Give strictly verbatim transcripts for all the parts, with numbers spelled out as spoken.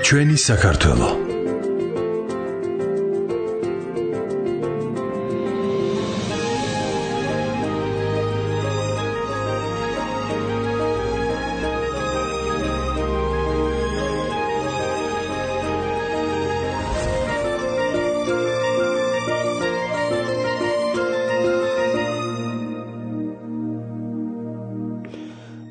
ჩვენი საქართველო.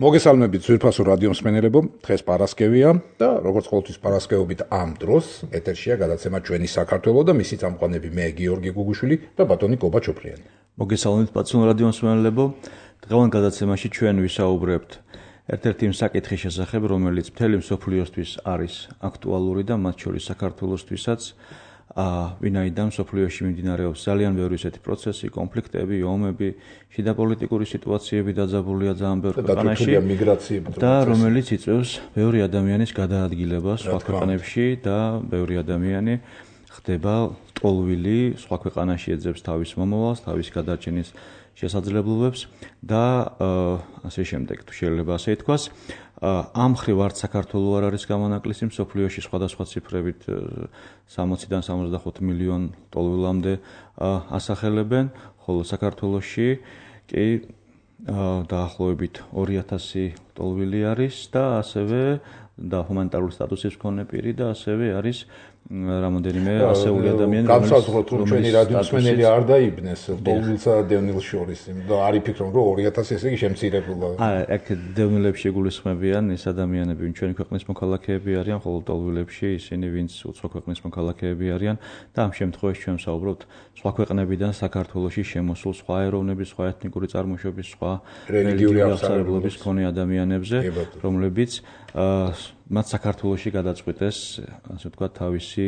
მოგესალმებით ძვირფასო რადიო მსმენელებო, დღეს პარასკევია და როგორც ყოველთვის პარასკევობით ამ დროს ეთერშია გადაცემა ჩვენი საქართველო და მისი წამყვანები მე გიორგი გუგუშვილი და ბატონი კობა ჩოფლიანი. მოგესალმებით პაცულ რადიო მსმენელებო, დღევანდელ გადაცემაში ჩვენ ვისაუბრებთ ერთ-ერთი იმ საკითხის შესახებ, რომელიც მთელი მსოფლიოსთვის არის აქტუალური და მათ შორის საქართველოსთვისაც. ვინაიდან მსოფლიოში მიმდინარეობს ძალიან ბევრი ისეთი პროცესი, კონფლიქტები, ომები, შიდა პოლიტიკური სიტუაციები დაძაბულია ძალიან ბევრ ქვეყანაში და რომელიც იწვევს ბევრი ადამიანის გადაადგილებას სხვა ქვეყნებში და ბევრი ადამიანი ხდება ტოლვილი, სხვა ქვეყანაში ეძებს თავის მომავალს, თავის გადარჩენის შესაძლებლობებს და ასე შემდეგ, თუ შეიძლება ასე ითქვას. ამ მხრივ არც საქართველო არ არის გამონაკლისი, მსოფლიოში სხვადასხვა ციფრებით სამოციდან სამოცდახუთ მილიონ ტოლვილამდე ასახელებენ, ხოლო საქართველოში კი დაახლოებით ორი ათასი ტოლვილი არის და ასევე და ჰუმანიტარული სტატუსის მქონე პირი და ასევე არის რამოდენიმე ასეული ადამიანი, განსაზღვროთ რომ ჩვენი რადიო მსმენელი არ დაიბნეს ტოლვილსა და დევნილს შორის და არ იფიქრონ რომ ორი ათასი ესე იგი შემცირებულა. აა აქ დევნილებში გულისხმებიან ის ადამიანები, ვინც ჩვენი ქვეყნის მოქალაქეები არიან, ხოლო ტოლვილებში ისინი, ვინც უცხო ქვეყნის მოქალაქეები არიან და ამ შემთხვევაში ჩვენ ვსაუბრობთ სხვა ქვეყნებიდან საქართველოში შემოსულ სხვა ეროვნების, სხვა ეთნიკური წარმოშობის, სხვა რელიგიური აღსარებლობის მქონე ადამიანებზე, რომლებიც მათ საქართველოში გადაწყვიტეს, ასე ვთქვათ, თავისი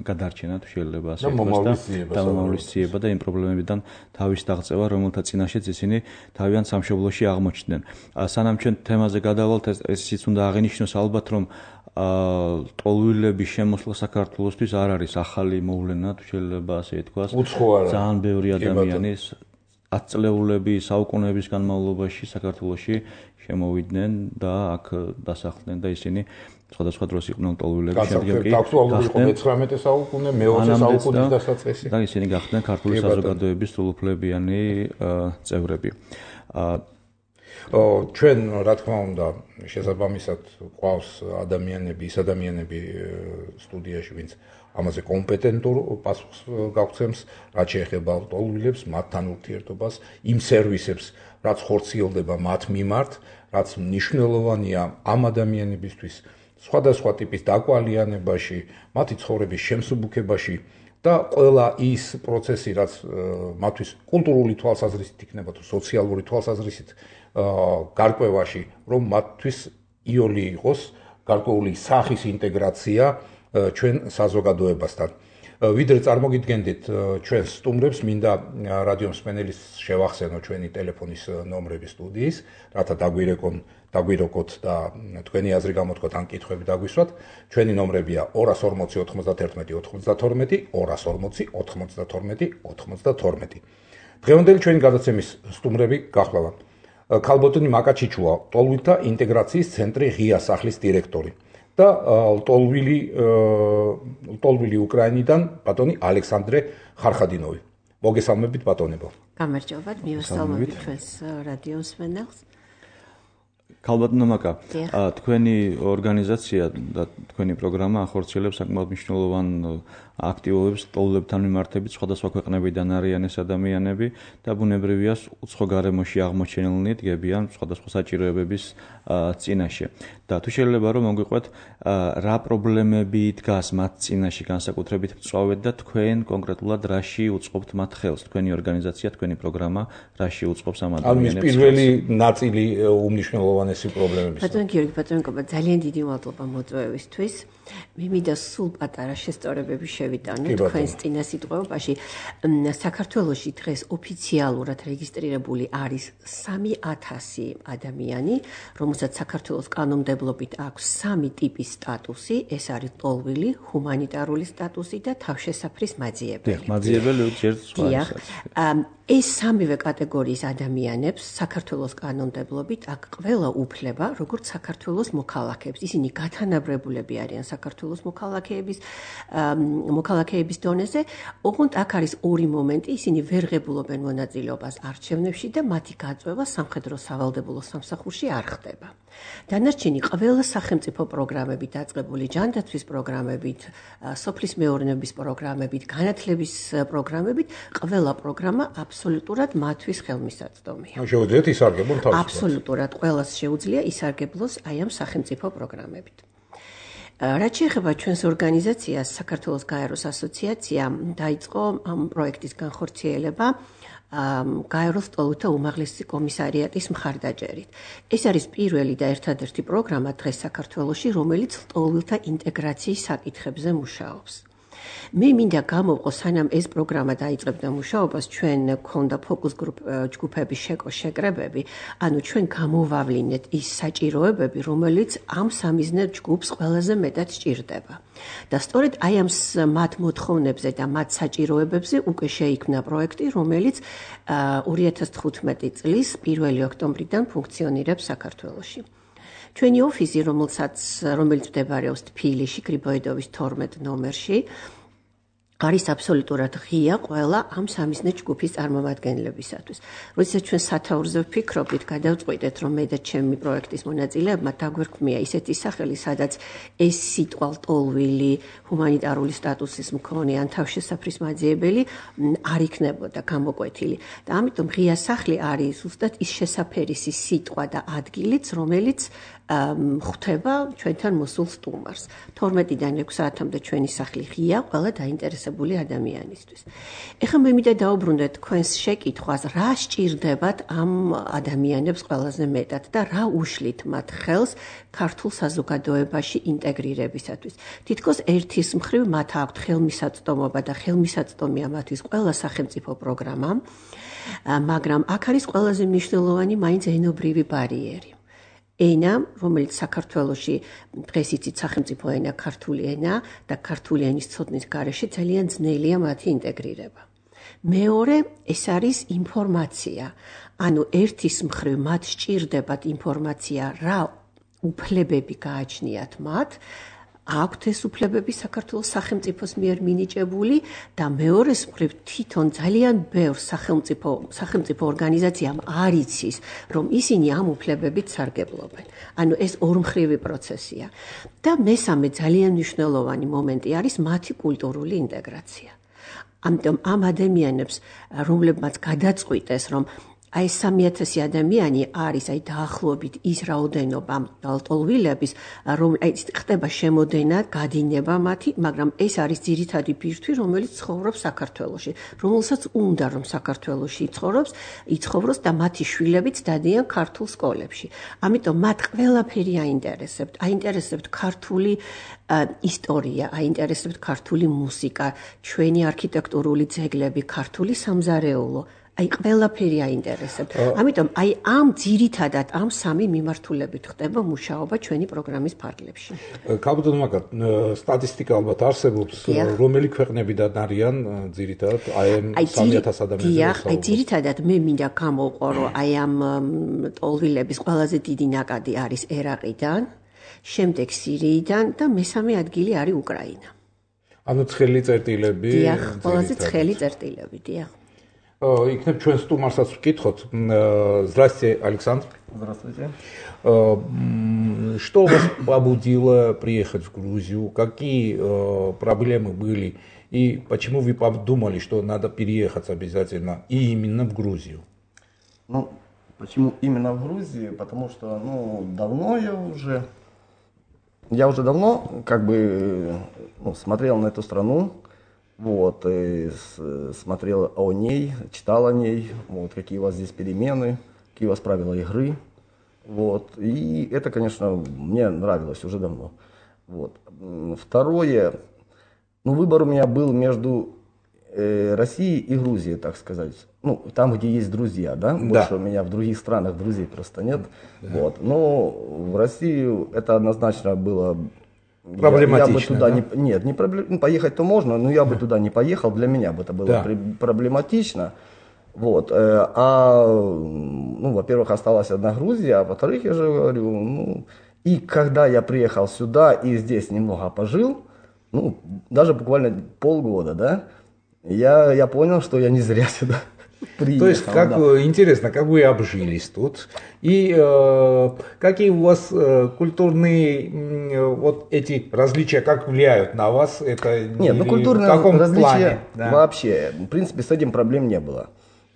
გადარჩენა, თუ შეიძლება ასე ვთქვათ, და მომავლისწიება და იმ პრობლემებიდან თავის დაღწევა, რომელთა წინაშეც ისინი თავიანთ სამშობლოში აღმოჩნდნენ. სანამ ჩვენ თემაზე გადავალთ, ესეც უნდა აღინიშნოს ალბათ, რომ ტოლვილების შემოსვლა საქართველოსთვის არ არის ახალი მოვლენა, თუ შეიძლება ასე ითქვას. ძალიან ბევრი ადამიანის ათწლეულები, საუკუნეების განმავლობაში საქართველოში შემოვიდნენ და აქ დასახლდნენ და ისინი სხვადასხვა დროს იყვნენ ტოლვილები, შემდეგ კი გახდნენ მეცხრამეტე საუკუნე, მეოცე საუკუნის დასაწყისი და ისინი გახდნენ ქართული საზოგადოების სრულუფლებიანი წევრები. ჩვენ რა თქმა უნდა შესაბამისად ყავს ადამიანები, ის ადამიანები სტუდიაში, ვინც ამაზე კომპეტენტურ პასუხს გაგცემს, რაც შეეხება ტოლვილებს, მათთან ურთიერთობას, იმ სერვისებს, რაც ხორციელდება მათ მიმართ, რაც მნიშვნელოვანია ამ ადამიანებისთვის სხვადასხვა ტიპის დაკვალიანებაში, მათი ცხოვრების შემსუბუქებაში და ყველა ის პროცესი, რაც მათთვის კულტურული თვალსაზრისით იქნება თუ სოციალური თვალსაზრისით გარკვევაში, რომ მათთვის იოლი იყოს გარკვეული სახის ინტეგრაცია ჩვენ საზოგადოებასთან. ვიდრე წარმოგიდგენდით ჩვენ სტუმრებს, მინდა რადიო მსმენელის შევახსენო ჩვენი ტელეფონის ნომრები სტუდიის, რათა დაგვირეკონ, დაგვიროკოთ და თქვენი აზრი გამოთქვათ ან კითხვები დაგვისვათ. ჩვენი ნომრებია ორას ორმოცი ოთხმოცდათერთმეტი ოთხმოცდათორმეტი, ორას ორმოცი ოთხმოცდათორმეტი ოთხმოცდათორმეტი. დღევანდელი ჩვენი გადაცემის სტუმრები გახლავთ ქალბატონი მაკა ჩიჩუა, ტოლვილთა ინტეგრაციის ცენტრი ღია სახლის დირექტორი და ტოლვილი ტოლვილი უკრაინიდან ბატონი ალექსანდრე ხარხადინოვი. მოგესალმებით ბატონებო. გამარჯობათ, მივესალმებით ჩვენს რადიო მსმენელს. ქალბატონო მაკა, თქვენი ორგანიზაცია და თქვენი პროგრამა ახორციელებს საკმაოდ მნიშვნელოვან აქტივობებს ტოლვილებთან მიმართებით, სხვადასხვა ქვეყნებიდან არიან ეს ადამიანები და ბუნებრივია უცხო გარემოში აღმოჩენილნი დგებიან სხვადასხვა საჭიროებების წინაშე. და თუ შეიძლება რომ მოგვიყვეთ, რა პრობლემები დგას მათ წინაშე განსაკუთრებით მწვავედ და თქვენ კონკრეტულად რაში უწყობთ მათ ხელს, თქვენი ორგანიზაცია, თქვენი პროგრამა რაში უწყობს ამ ადამიანებს? ანუ პირველი ნაწილი უმნიშვნელოვანესი პრობლემებია. ბატონო გიორგი, ბატონო კობა, ძალიან დიდი მადლობა მოწვევისთვის. მე მინდა სულ პატარა შესწორებები შევიტანო თქვენს წინასიტყვეობაში. საქართველოში დღეს ოფიციალურად რეგისტრირებული არის სამი ათასი ადამიანი, რომელსაც საქართველოს კანონმდებლობით აქვს სამი ტიპის სტატუსი, ეს არის ტოლვილი, ჰუმანიტარული სტატუსი და თავშესაფრის მაძიებელი. მაძიებელი ჯერ სხვა. ეს სამივე კატეგორიის ადამიანებს საქართველოს კანონმდებლობით აქ ყველა უფლება, როგორც საქართველოს მოქალაქეებს. ისინი გათანაბრებულები არიან საქართველოს მოქალაქეების მოქალაქეების დონეზე. ოღონდ აქ არის ორი მომენტი, ისინი ვერ ღებულობენ მონაწილეობას არჩევნებში და მათი გაწვევა სამხედრო სავალდებულო სამსახურში არ ხდება. დანარჩენი ყველა სახელმწიფო პროგრამებით დაწყებული ჯანდაცვის პროგრამებით, სოფლის მეურნეობის პროგრამებით, განათლების პროგრამებით, ყველა პროგრამა აბსოლუტურად მათთვის ხელმისაწვდომია. შეუძლიათ ისარგებლონ თავისუფლად. აბსოლუტურად ყველას შეუძლია ისარგებლოს აი ამ სახელმწიფო პროგრამებით. რაც შეეხება ჩვენს ორგანიზაციას, საქართველოს გაეროს ასოციაცია დაიწყო ამ პროექტის განხორციელება გაეროს ლტოლვილთა უმაღლესი კომისარიატის მხარდაჭერით. ეს არის პირველი და ერთადერთი პროგრამა დღეს საქართველოში, რომელიც ლტოლვილთა ინტეგრაციის საკითხებზე მუშაობს. მე მინდა გამოვყო, სანამ ეს პროგრამა დაიწყებდა მუშაობას, ჩვენ გქონდა ფოკუს ჯგუფების შეკრებები, ანუ ჩვენ გამოვავლინეთ ის საჭიროებები, რომელიც ამ სამიზნე ჯგუფს ყველაზე მეტად სჭირდება. და სწორედ აი ამ მათ მოთხოვნებზე და მათ საჭიროებებზე უკვე შეიქმნა პროექტი, რომელიც ორი ათას თხუთმეტი წლის პირველი ოქტომბრიდან ფუნქციონირებს საქართველოში. ჩვენი ოფისი, რომელსაც რომელიც მდებარეობს თბილისში, გრიბოედოვის თორმეტ ნომერში, არის აბსოლუტურად ღია ყველა ამ სამიზნე ჯგუფის წარმომადგენლებისათვის. როდესაც ჩვენ სათაურზე ვფიქრობდით, გადავწყვიტეთ, რომ მე და ჩემი პროექტის მონაწილეებმა დაგვერქმია ისეთი სახელი, სადაც ეს სიტყვა ლტოლვილი, ჰუმანიტარული სტატუსის მქონე ან თავშესაფრის მაძიებელი არ იქნებოდა გამოკვეთილი. და ამიტომ ღია სახლი არის ზუსტად ის შესაფერისი სიტყვა და ადგილიც, რომელიც ხვდება ჩვენთან მოსულ სტუმარს. თორმეტიდან ექვს საათამდე ჩვენი სახლი ღია ყველა დაინტერესებული ადამიანისთვის. ეხლა მე მინდა დაუბრუნდეთ თქვენს შეკითხვას, რა სჭირდებათ ამ ადამიანებს ყველაზე მეტად და რა უშლით მათ ხელს ქართულ საზოგადოებაში ინტეგრირებისათვის. თითქოს ერთის მხრივ მათ აქვთ ხელმისაწვდომობა და ხელმისაწვდომია მათთვის ყველა სახელმწიფო პროგრამა, მაგრამ აქ არის ყველაზე მნიშვნელოვანი მაინც ენობრივი ბარიერი. ენა, რომელიც საქართველოში დღეს იცით სახელმწიფო ენა ქართული ენა და ქართული ენის ცოდნის გარეშე ძალიან ძნელია მათი ინტეგრირება. მეორე, ეს არის ინფორმაცია. ანუ ერთის მხრივ მათ სჭირდებათ ინფორმაცია, რა უფლებები გააჩნიათ მათ, აქვთ ეს უფლებები საქართველოს სახელმწიფოს მიერ მინიჭებული და მეორეს მხრივ თვითონ ძალიან ბევრ სახელმწიფო სახელმწიფო ორგანიზაციამ არ იცის, რომ ისინი ამ უფლებებით სარგებლობენ. ანუ ეს ორმხრივი პროცესია. და მესამე ძალიან მნიშვნელოვანი მომენტი არის მათი კულტურული ინტეგრაცია. ამიტომ ამ ადამიანებს, რომლებმაც გადაწყვიტეს, რომ აი სამი ათასი ადამიანი არის აი დაახლოებით ის რაოდენობა ლტოლვილების, რომ აი ხდება შემოდენა, გადინება მათი, მაგრამ ეს არის ძირითადი ბირთვი, რომელიც ცხოვრობს საქართველოში, რომელსაც უნდა რომ საქართველოში იცხოვრობს, იცხოვროს და მათი შვილებიც დადიან ქართულ სკოლებში. ამიტომ მათ ყველაფერი აინტერესებთ, აინტერესებთ ქართული ისტორია, აინტერესებთ ქართული მუსიკა, ჩვენი არქიტექტურული ძეგლები, ქართული სამზარეულო. აი ყველაფერი აინტერესებთ. ამიტომ აი ამ ძირითადად ამ სამი მიმართულებით ხდება მუშაობა ჩვენი პროგრამის ფარგლებში. ქაბუდონ მაგათ სტატისტიკა ალბათ არსებობს, რომელი ქვეყნებიდან არიან ძირითადად აი ამ სამი ათას ადამიანის. აი ძირითადად მე მინდა გამოვყო, რომ აი ამ ლტოლვილების ყველაზე დიდი ნაკადი არის ერაყიდან, შემდეგ სირიიდან და მესამე ადგილი არის უკრაინა. ანუ ცხელი წერტილები. დიახ, ყველაზე ცხელი წერტილები, диახ. Იქნებ ჩვენ სტუმარსაც ვკითხოთ. Здравствуйте, Александр. Здравствуйте. Что вас побудило приехать в Грузию? Какие проблемы были? И почему вы подумали, что надо переехать обязательно и именно в Грузию? Ну, почему именно в Грузию? Потому что, ну, давно я уже, я уже давно, как бы, ну, смотрел на эту страну. Вот, и смотрел о ней, читал о ней, вот, какие у вас здесь перемены, какие у вас правила игры. Вот, и это, конечно, мне нравилось уже давно. Вот. Второе, ну, выбор у меня был между э, Россией и Грузией, так сказать. Ну, там, где есть друзья, да? Больше да. У меня в других странах друзей просто нет. Да. Вот. Но в Россию это однозначно было... Проблематично, я, я бы туда да? не, нет, не проблем, ну, поехать-то можно, но я бы туда не поехал, для меня бы это было да. при, проблематично. Вот. А, ну, во-первых, осталась одна Грузия, а во-вторых, я же говорю, ну, и когда я приехал сюда и здесь немного пожил, ну, даже буквально полгода, да, я, я понял, что я не зря сюда приехал. То есть, как да. интересно, как вы обжились тут, и э, какие у вас э, культурные э, вот эти различия, как влияют на вас? Это Нет, ну культурные в каком различия плане? Да. Вообще, в принципе, с этим проблем не было.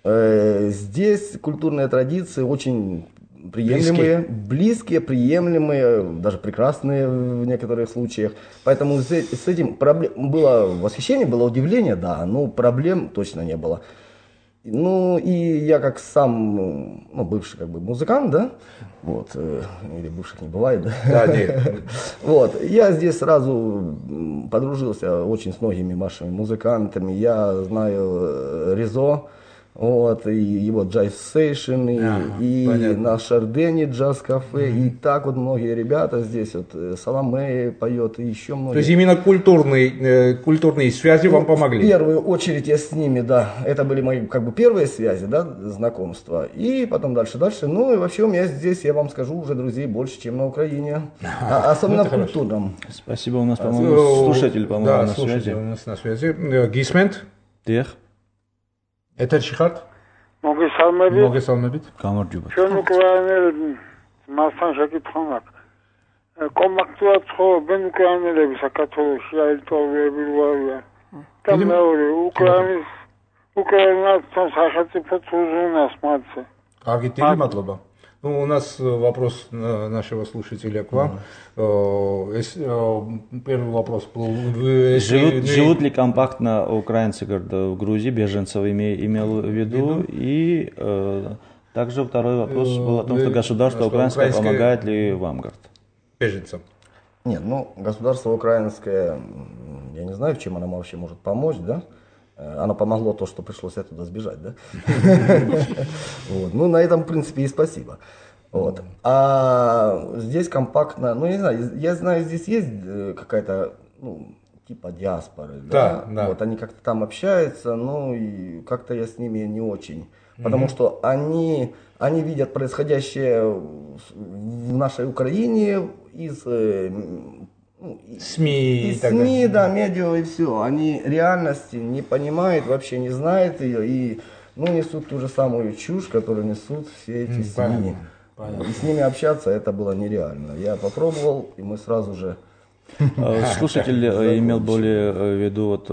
Э, здесь культурные традиции очень приемлемые, близкие. близкие, приемлемые, даже прекрасные в некоторых случаях. Поэтому с этим проблем было восхищение, было удивление, да, но проблем точно не было. Ну и я как сам, ну, бывший как бы музыкант, да, вот, э, или бывших не бывает, да, да нет. Вот, я здесь сразу подружился очень с многими вашими музыкантами, я знаю Ризо, вот, и его Jive Station, и, ага, и на Шардене джаз-кафе, mm-hmm. и так вот многие ребята здесь, вот, Соломея поет, и еще многие. То есть именно культурные, культурные связи ну, вам помогли? В первую очередь я с ними, да, это были мои, как бы, первые связи, да, знакомства, и потом дальше-дальше, ну, и вообще у меня здесь, я вам скажу, уже друзей больше, чем на Украине, а, особенно в культурном. Спасибо, у нас, по-моему, слушатель, по-моему, да, на слушатель связи. у нас на связи. Гисмент? Дих. ეთერში ხართ? მოგესალმებით. მოგესალმებით. გამარჯობა. ჩვენ უკრაინელი მასთან შეკითხვა მაქვს. კომპაქტურად ცხოვრობენ უკრაინელები საქართველოში, აირტოვები ვარიან. და მეორე უკრაინის უკრაინასთან სახელმწიფო უზრუნავს მათზე. კარგი, დიდი მადლობა. Ну, у нас вопрос нашего слушателя к вам. Первый вопрос был... Живут, живут ли компактно украинцы в Грузии, беженцев имел в виду? И э, также второй вопрос был о том, что государство украинское помогает ли вам, говорит? Беженцам. Нет, ну, государство украинское, я не знаю, чем оно вообще может помочь, да? Оно помогло то, что пришлось оттуда сбежать, да? Вот. Ну, на этом, в принципе, и спасибо. Вот. А здесь компактно, ну, я не знаю, я знаю, здесь есть какая-то, ну, типа диаспоры, да? Да, да. Вот, они как-то там общаются, ну, и как-то я с ними не очень. Потому mm-hmm. что они, они видят происходящее в нашей Украине из... Ну, СМИ, и СМИ, да, медиа и все. Они реальности не понимают, вообще не знают ее и, ну, несут ту же самую чушь, которую несут все эти СМИ. Понятно, понятно. И с ними общаться это было нереально. Я попробовал, и мы сразу же... Слушатель имел более в виду вот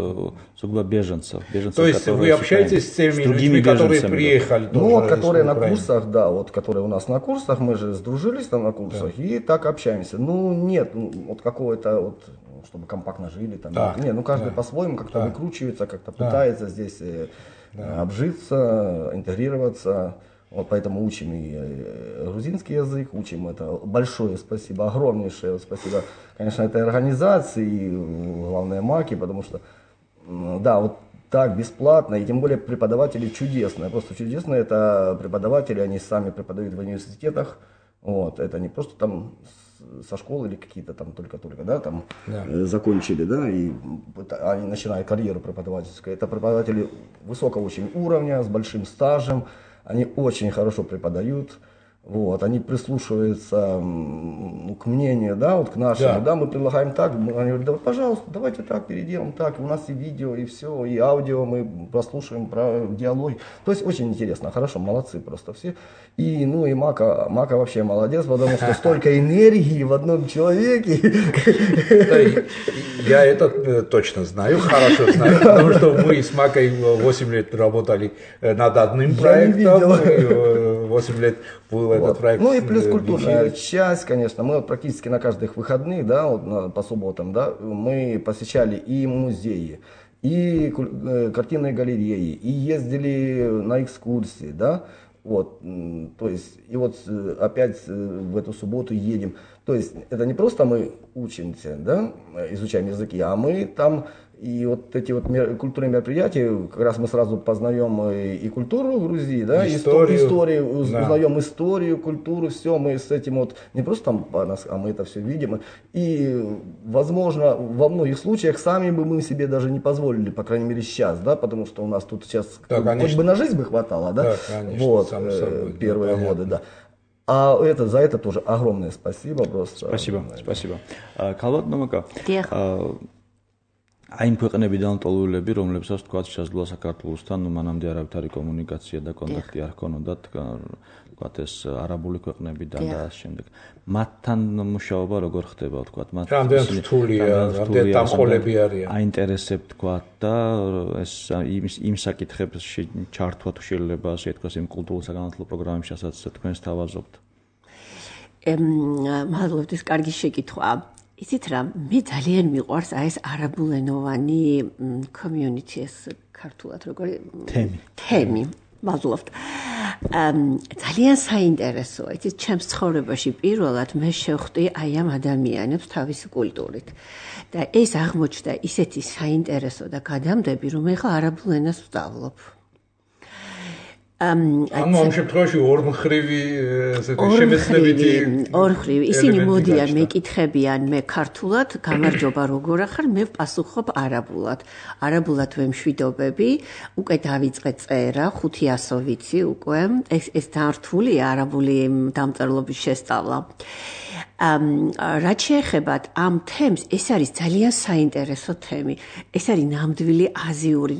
сугубо беженцев, беженцев. То есть вы общаетесь с теми людьми, которые приехали? Ну вот, которые на курсах, да, вот которые у нас на курсах, мы же сдружились там на курсах, да. И так общаемся. Ну нет, вот какого-то вот, чтобы компактно жили там. Да. Нет, ну каждый да. по-своему как-то да. выкручивается, как-то да. пытается здесь да. обжиться, интегрироваться. Вот поэтому учим и грузинский язык, учим это. Большое спасибо, огромнейшее спасибо, конечно, этой организации, и главное Маки, потому что, да, вот так бесплатно, и тем более преподаватели чудесные, просто чудесные, это преподаватели, они сами преподают в университетах, вот, это не просто там со школы или какие-то там только-только, да, там да. закончили, да, и они начинают карьеру преподавательскую, это преподаватели высокого очень уровня, с большим стажем. Они очень хорошо преподают, вот, они прислушиваются ну, к мнению, да, вот к нашему, да, да мы предлагаем так, они говорят, да, пожалуйста, давайте так переделаем, так, у нас и видео, и все, и аудио, мы прослушаем про диалоги, то есть очень интересно, хорошо, молодцы просто все, и, ну, и Мака, Мака вообще молодец, потому что столько энергии в одном человеке. Я это точно знаю, хорошо знаю, потому что мы с Макой восемь лет работали над одним проектом, восемь лет был этот вот. Проект. Ну и плюс культурная часть, конечно, мы вот практически на каждых выходных, да, вот на, по субботам, да, мы посещали и музеи, и э, картинные галереи, и ездили на экскурсии, да, вот, то есть, и вот опять в эту субботу едем. То есть это не просто мы учимся, да, изучаем языки, а мы там И вот эти вот мер, культурные мероприятия, как раз мы сразу познаем и, и культуру Грузии, да, историю, историю да. узнаем историю, культуру, все, мы с этим вот, не просто там, а мы это все видим. И, возможно, во многих случаях сами бы мы себе даже не позволили, по крайней мере сейчас, да, потому что у нас тут сейчас, да, хоть бы на жизнь бы хватало, да, да конечно, вот, э, первые годы, да. А это, за это тоже огромное спасибо просто. Спасибо, спасибо. Калват Номака. Այն ქვეყნებიდან ტოლულები, რომლებსაც თქვათ შესაძლოა საქართველოსთან მანამდე არავითარი არის კომუნიკაცია და კონტაქტი არ ჰქონოდათ, თქვათ ეს არაბული ქვეყნებიდან და ამ შემდეგ. მათთან მუშაობა როგორ ხდება, თქვათ, მათ რამდენად რთულია, რამდენად დამყოლები არიან. აინტერესებთ, თქვათ და ეს იმ იმ საკითხებში ჩართვა თუ შეიძლება ასე თქვას იმ კულტურულ საგანმანათლებლო პროგრამებშიაც თქვენს თავაზობთ. ემ მადლობთ, ეს კარგი შეკითხვაა. იცით რა, მე ძალიან მიყვარს აი ეს არაბულენოვანი community ეს ქართულად როგორი თემი. თემი, მადლობთ. ძალიან საინტერესოა. იცით, ჩემს ცხოვრებაში პირველად მე შევხვდი აი ამ ადამიანებს თავისი კულტურით. და ეს აღმოჩნდა ისეთი საინტერესო და გადამდები, რომ ეხლა არაბულ ენას ვსწავლობ. ანუ ამ შემთხვევაში ორმხრივი ესეთი შემეცნებითი ორმხრივი ისინი მოდიან მეკითხებიან მე ქართულად გამარჯობა როგორ ახარ მე ვპასუხობ არაბულად არაბულად ვემშვიდობები უკვე დავიწყე წერა ხუთი ასო ვიცი უკვე ეს ეს დართულია არაბული დამწერლობის შესწავლა ამ რაც შეეხება ამ თემს ეს არის ძალიან საინტერესო თემი ეს არის ნამდვილი აზიური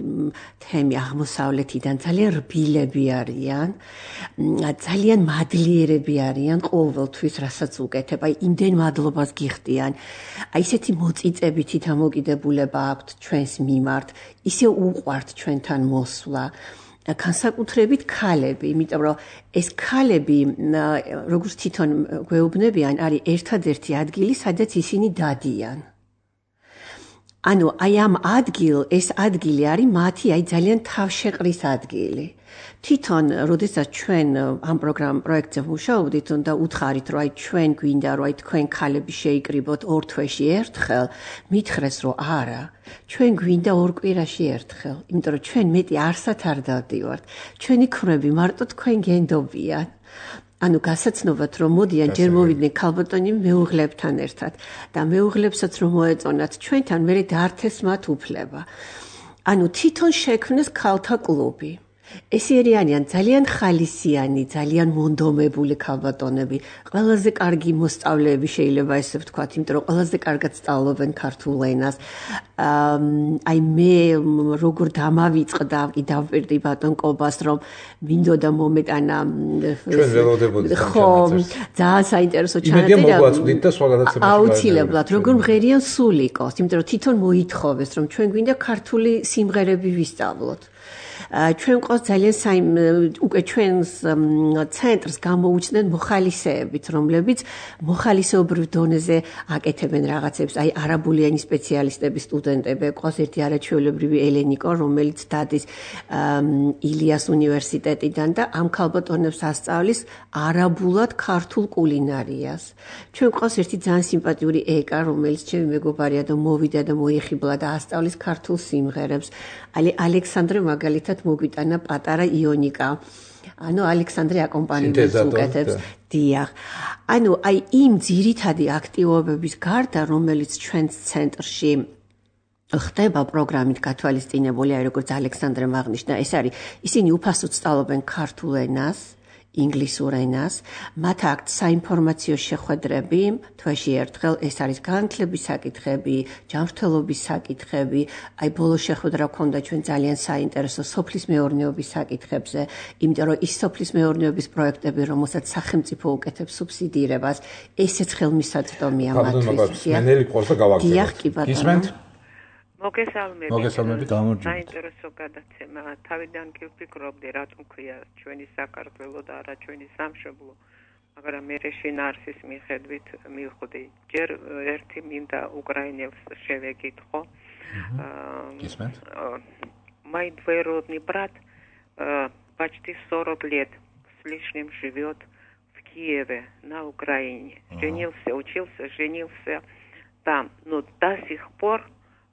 თემი აღმოსავლეთიდან ძალიან რბილები არიან ძალიან მადლიერები არიან ყოველთვის რასაც უკეთებ აი იმდენ მადლობას გიხდიან აი ესეთი მოწიწებითი დამოკიდებულება აქვთ ჩვენს მიმართ ისე უყვართ ჩვენთან მოსვლა განსაკუთრებით ქალები, იმიტომ რომ ეს ქალები როგორც თვითონ გვეუბნებიან, არის ერთადერთი ადგილი, სადაც ისინი დადიან. ანუ აი ამ ადგილ, ეს ადგილი არის მათი აი ძალიან თავშეყრის ადგილი. თვითონ, როდესაც ჩვენ ამ პროგრამ პროექტზე ვმუშაობდით და უთხარით, რომ აი ჩვენ გვინდა, რომ აი თქვენ ქალები შეიკრიბოთ ორ თვეში ერთხელ, მითხრეს, რომ არა. ჩვენ გვინდა ორ კვირაში ერთხელ, იმიტომ რომ ჩვენ მეტი არსად არ დავდივართ. ჩვენი ქმრები მარტო თქვენ გენდობიან. ანუ გასაცნობად რომ მოდიან ჯერ მოვიდნენ ქალბატონი მეუღლებთან ერთად და მეუღლებსაც რომ მოეწონათ ჩვენთან მე დაართეს მათ უფლება. ანუ თვითონ შექმნეს ქალთა კლუბი. ესე არიან ძალიან ხალისიანი, ძალიან მონდომებული ქალბატონები, ყველაზე კარგი მოსწავლეები შეიძლება ესე ვთქვათ, იმიტომ რომ ყველაზე კარგად სწავლობენ ქართულ ენას. აი მე როგორ დამავიწყდა, კი დავპირდი ბატონ კობას, რომ მინდოდა მომეტანა ჩვენ ველოდებოდით ხო, ძალიან საინტერესო ჩანაწერი. იმედია მოგვაწვდით და სხვა გადაცემაში აუცილებლად, როგორ მღერიან სულიკოს, იმიტომ რომ თვითონ მოითხოვეს, რომ ჩვენ გვინდა ქართული სიმღერები ვისწავლოთ. ჩვენ ყავს ძალიან საიმ უკვე ჩვენს ცენტრს გამოუჩნდნენ მოხალისეებით, რომლებიც მოხალისეობრივ დონეზე აკეთებენ რაღაცებს, აი არაბულიანი სპეციალისტები, სტუდენტები, ყავს ერთი არაჩვეულებრივი ელენიკო, რომელიც დადის ილიას უნივერსიტეტიდან და ამ ქალბატონებს ასწავლის არაბულად ქართულ კულინარიას. ჩვენ ყავს ერთი ძალიან სიმპათიური ეკა, რომელიც ჩემი მეგობარია და მოვიდა და მოიხიბლა და ასწავლის ქართულ სიმღერებს. აი ალექსანდრე მაგალითად მოგვიტანა პატარა იონიკა. ანუ ალექსანდრე აკომპანიმენტს უკეთებს. დიახ. ანუ აი იმ ძირითადი აქტივობების გარდა, რომელიც ჩვენს ცენტრში ხდება პროგრამით გათვალისწინებული, აი როგორც ალექსანდრემ აღნიშნა, ეს არის ისინი უფასოდ სწავლობენ ქართულ ენას. ინგლისურ ენას, მათ აქვთ საინფორმაციო შეხვედრები, თვეში ერთხელ ეს არის განათლების საკითხები, ჯანმრთელობის საკითხები, აი ბოლო შეხვედრა გქონდა ჩვენ ძალიან საინტერესო სოფლის მეურნეობის საკითხებზე, იმიტომ რომ ის სოფლის მეურნეობის პროექტები, რომელსაც სახელმწიფო უკეთებს სუბსიდირებას, ესეც ხელმისაწვდომია მათთვის. მენელი ყავს და გავაგზავნოთ. დიახ, კი ბატონო. მოგესალმებით. მოგესალმებით. საინტერესო გადაცემა. თავიდან კი ვფიქრობდი, რატომ ქვია ჩვენი საქართველო და არა ჩვენი სამშობლო, მაგრამ მე შინაარსის მიხედვით მივხვდი. ჯერ ერთი მინდა უკრაინელს შევეკითხო. Кисмет. Мой двоюродный брат почти сорок лет с лишним живет в Киеве, на Украине. Женился, учился, женился там. Но до сих пор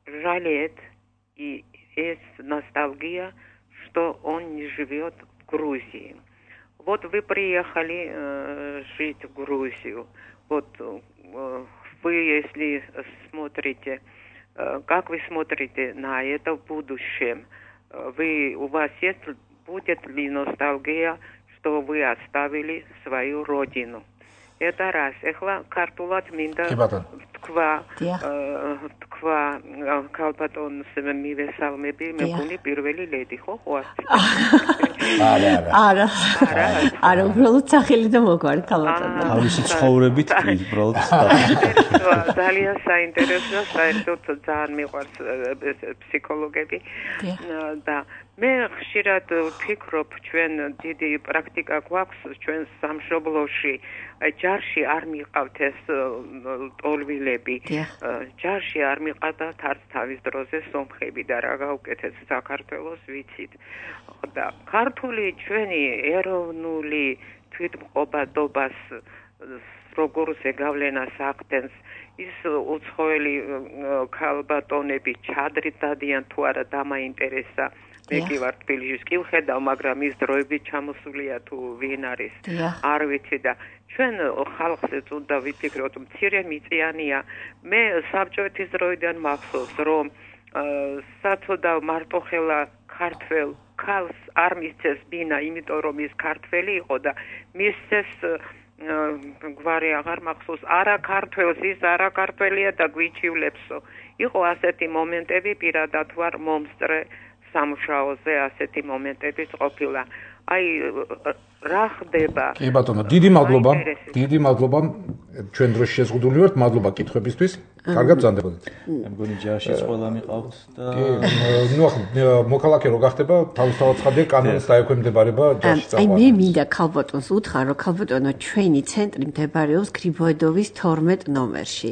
жалеет и есть ностальгия, что он не живет в Грузии. Вот вы приехали э, жить в Грузию. Вот э, вы, если смотрите, э, как вы смотрите на это в будущем, вы, у вас есть, будет ли ностальгия, что вы оставили свою родину? Это раз. Ეხლა ქართულად მინდა თქვა თქვა ქალბატონს მივესალმები, მეგონი პირველი ლედი, ხო, ხო ასე? არა, არა. არა. არა, უბრალოდ სახელი და მოგვარი ქალბატონი. თავისი ცხოვრებით კი, უბრალოდ. ძალიან საინტერესოა, საერთოდ ძალიან მიყვარს ფსიქოლოგები და მე ხშირად ვფიქრობ, ჩვენ დიდი პრაქტიკა გვაქვს ჩვენ სამშობლოში, ჯარში არ მიყავთ ეს ტოლვილები, ჯარში არ მიყავთ არც თავის დროზე სომხები და რა გაუკეთეთ საქართველოს ვიცით. და ქართული ჩვენი ეროვნული თვითმყოფადობას როგორ ზეგავლენას ახდენს, ის უცხოელი ქალბატონები ჩადრით დადიან თუ არა დამაინტერესა. მე კი ვარ თბილისში კი ვხედავ, მაგრამ ის დროები ჩამოსულია თუ ვინ არის, არ ვიცი და ჩვენ ხალხსაც უნდა ვიფიქროთ, მცირე მიწიანია. მე საბჭოეთის დროიდან მახსოვს, რომ საწოდავ მარტოხელა ქართველ ქალს არ მისცეს ბინა, იმიტომ რომ ის ქართველი იყო და მისცეს გვარი აღარ მახსოვს, არა ქართველს, ის არა ქართველია და გვიჩივლებსო. იყო ასეთი მომენტები, პირადად ვარ მომსწრე სამუშაოზე ასეთი მომენტებიც ყოფილა. აი რა ხდება? კი ბატონო, დიდი მადლობა. დიდი მადლობა. ჩვენ დროში შეზღუდული ვართ. მადლობა კითხვებისთვის. კარგად ბრძანდებოდეთ. მე მგონი ჯარშიც ყველა მიყავთ და კი, ნუ ახლა მოქალაქე რო გახდება, თავისთავად ცხადია კანონს დაექვემდებარება ჯარში წაყვანა. აი მე მინდა ქალბატონს უთხრა, რომ ქალბატონო ჩვენი ცენტრი მდებარეობს გრიბოედოვის თორმეტ ნომერში.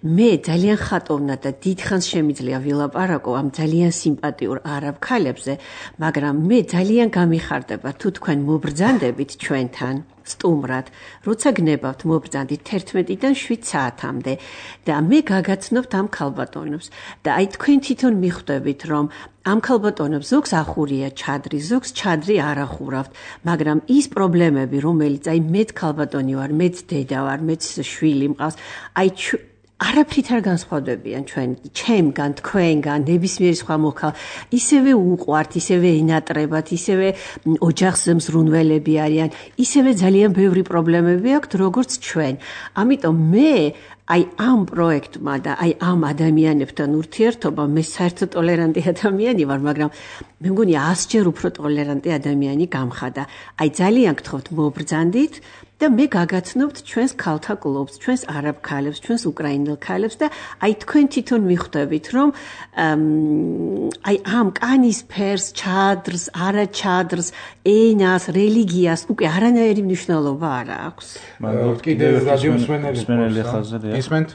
მე ძალიან ხატოვნა და დიდხანს შემიძლია ვილაპარაკო ამ ძალიან სიმპათიურ არაბ ქალებზე, მაგრამ მე ძალიან გამიხარდება თუ თქვენ მობრძანდებით ჩვენთან სტუმრად, როცა გნებავთ მობრძანდით თერთმეტიდან შვიდ საათამდე და მე გაგაცნობთ ამ ქალბატონებს და აი თქვენ თვითონ მიხვდებით, რომ ამ ქალბატონებს ზოგს ახურია ჩადრი, ზოგს ჩადრი არ ახურავთ, მაგრამ ის პრობლემები, რომელიც აი მეც ქალბატონი ვარ, მეც დედა ვარ, მეც შვილი მყავს, აი არაფრით არ განსხვავდებიან ჩვენ, ჩემგან, თქვენგან, ნებისმიერი სხვა მოქალაქე. ისევე უყვართ, ისევე ენატრებათ, ისევე ოჯახს მზრუნველები არიან, ისევე ძალიან ბევრი პრობლემები აქვთ, როგორც ჩვენ. ამიტომ მე აი ამ პროექტმა და აი ამ ადამიანებთან ურთიერთობა, მე საერთოდ ტოლერანტი ადამიანი ვარ, მაგრამ მე მგონი ასჯერ უფრო ტოლერანტი ადამიანი გამხადა. აი ძალიან გთხოვთ მობრძანდით და მე გაგაცნობთ ჩვენს ქალთა კლუბს, ჩვენს არაბ ქალებს, ჩვენს უკრაინელ ქალებს და აი თქვენ თვითონ მიხვდებით, რომ აი ამ კანის ფერს, ჩადრს, არა ჩადრს, ენას, რელიგიას უკვე არანაირი მნიშვნელობა არ აქვს. მაგრამ კიდევ რადიო მსმენელი ხაზზე ისმენთ?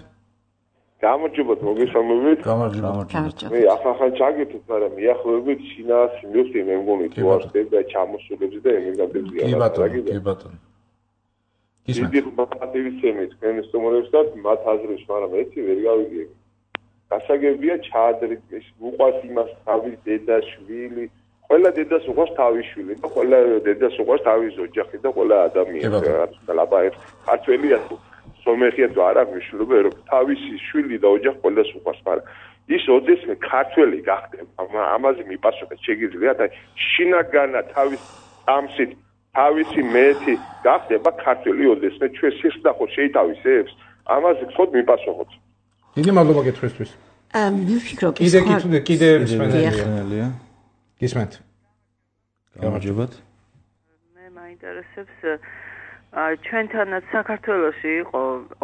გამარჯობათ, მოგესალმებით. გამარჯობათ. მე ახლა ჩაგეთეთ, მაგრამ მიახლოებით შინას მივხვდი, მე მგონი თუ არ ხდება ჩამოსულებს და ემიგრანტებს კი ბატონო, კი ბატონო. დიდი ხმატივიცემი თქვენ სტუმრებს და მათ აზრებს, მაგრამ ერთი ვერ გავიგებ. გასაგებია ჩადრით, უყვარს იმას თავის დედა, შვილი, ყველა დედას უყვარს თავის შვილი და ყველა დედას უყვარს თავის ოჯახი და ყველა ადამიანი. ლაბა ერთ ქართველია თუ სომეხია თუ არა მნიშვნელობა, რომ თავისი შვილი და ოჯახი ყველას უყვარს, მაგრამ ის ოდესმე ქართველი გახდება, ამაზე მიპასუხეთ შეგიძლიათ, აი შინაგანა თავის ამსით თავისი მეტი გახდება ქართველი ოდესმე ჩვენ სიხდახო შეითავისებს, ამაზე გთხოვთ მიპასუხოთ. დიდი მადლობა კითხვისთვის. აა მე ვფიქრობ ის კიდე კიდე კიდე მსმენელია. გისმენთ. გამარჯობათ. მე მაინტერესებს ჩვენთანაც საქართველოში იყო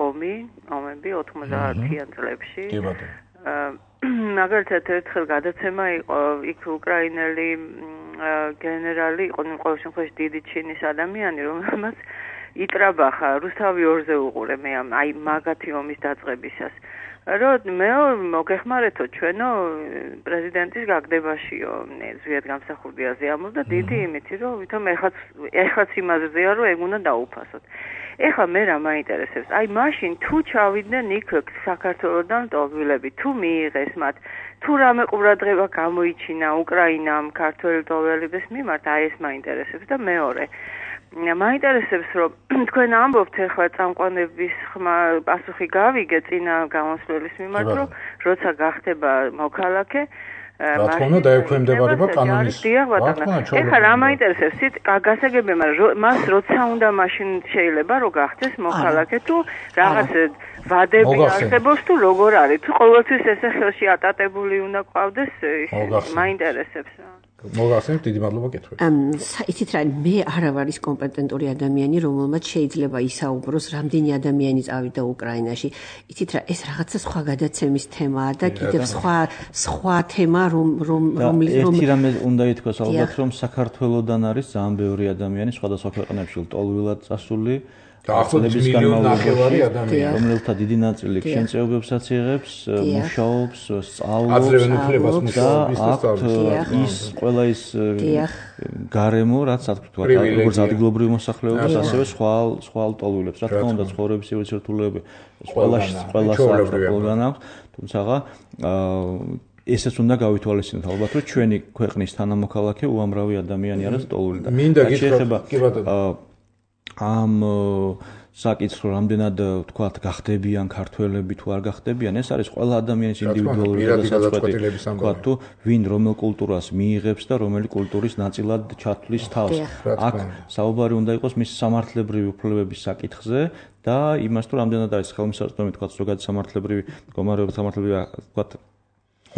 ომი, ომები ოთხმოცდაათიან წლებში. კი ბატონო. მაგალითად ერთხელ გადაცემა იყო იქ უკრაინელი გენერალი იყო, ყოველ შემთხვევაში დიდი ჩინის ადამიანი, რომელმაც იტრაბახა რუსთავი ორზე უყურე მე აი მაგათი ომის დაწყებისას. რომ მე მოგეხმარეთო ჩვენო პრეზიდენტის გაგდებაშიო ზვიად გამსახურდიაზე ამბობს და დიდი იმითი რომ ვითომ ეხაც ეხაც იმაზეა რომ ეგ უნდა დაუფასოთ. ეხლა მე რა მაინტერესებს? აი მაშინ თუ ჩავიდნენ იქ საქართველოსდან ტოლვილები, თუ მიიღეს მათ, თუ რამე ყურადღება გამოიჩინა უკრაინამ ქართველ ტოლველების მიმართ, აი ეს მაინტერესებს და მეორე მაინტერესებს რომ თქვენ ამბობთ ახლა წამყვანების ხმა პასუხი გავიგე წინა გამოსვლის მიმართ რომ როცა გახდება მოქალაქე რა თქმა უნდა დაექვემდებარება კანონის ეხლა რა მაინტერესებს სიტ გასაგებია მაგრამ მას როცა უნდა მაშინ შეიძლება რომ გახდეს მოქალაქე თუ რაღაც ვადები არსებობს თუ როგორ არის თუ ყოველთვის ესე ხელში ატატებული უნდა ყავდეს მაინტერესებს მოგახსენებთ დიდი მადლობა კითხვით. იცით რა მე არა ვარ ის კომპეტენტური ადამიანი რომელმაც შეიძლება ისაუბროს რამდენი ადამიანი წავიდა უკრაინაში. იცით რა ეს რაღაცა სხვა გადაცემის თემაა და კიდევ სხვა სხვა თემა რომ რომ რომლის რომ ერთი რამე უნდა ითქვას ალბათ რომ საქართველოსდან არის ძალიან ბევრი ადამიანი სხვადასხვა ქვეყნებში ლტოლვილად წასული ახლობის მილიონნახევარი ადამიანი რომელთა დიდი ნაწილი შენწეობებსაც იღებს, მუშაობს, სწავლობს და ის ყველა ის გარემო რაც თქვა როგორც ადგილობრივ მოსახლეობას ასევე სხვა სხვა ლტოლვილებს რა თქმა უნდა ცხოვრების სირთულეები ყველა ყველა საქართველოსდან აქვს თუმცა ესეც უნდა გავითვალისწინოთ ალბათ რომ ჩვენი ქვეყნის თანამოქალაქე უამრავი ადამიანი არის ლტოლვილი და მინდა გითხრათ კი ბატონო ამ საკითხს რამდენად თქვათ გახდებიან ქართველები თუ არ გახდებიან ეს არის ყველა ადამიანის ინდივიდუალური გადაწყვეტილება თქვათ თუ ვინ რომელ კულტურას მიიღებს და რომელი კულტურის ნაწილად ჩათვლის თავს აქ საუბარი უნდა იყოს მის სამართლებრივი უფლებების საკითხზე და იმას თუ რამდენად არის ხელმისაწვდომი თქვათ ზოგადი სამართლებრივი მდგომარეობა სამართლებრივი თქვათ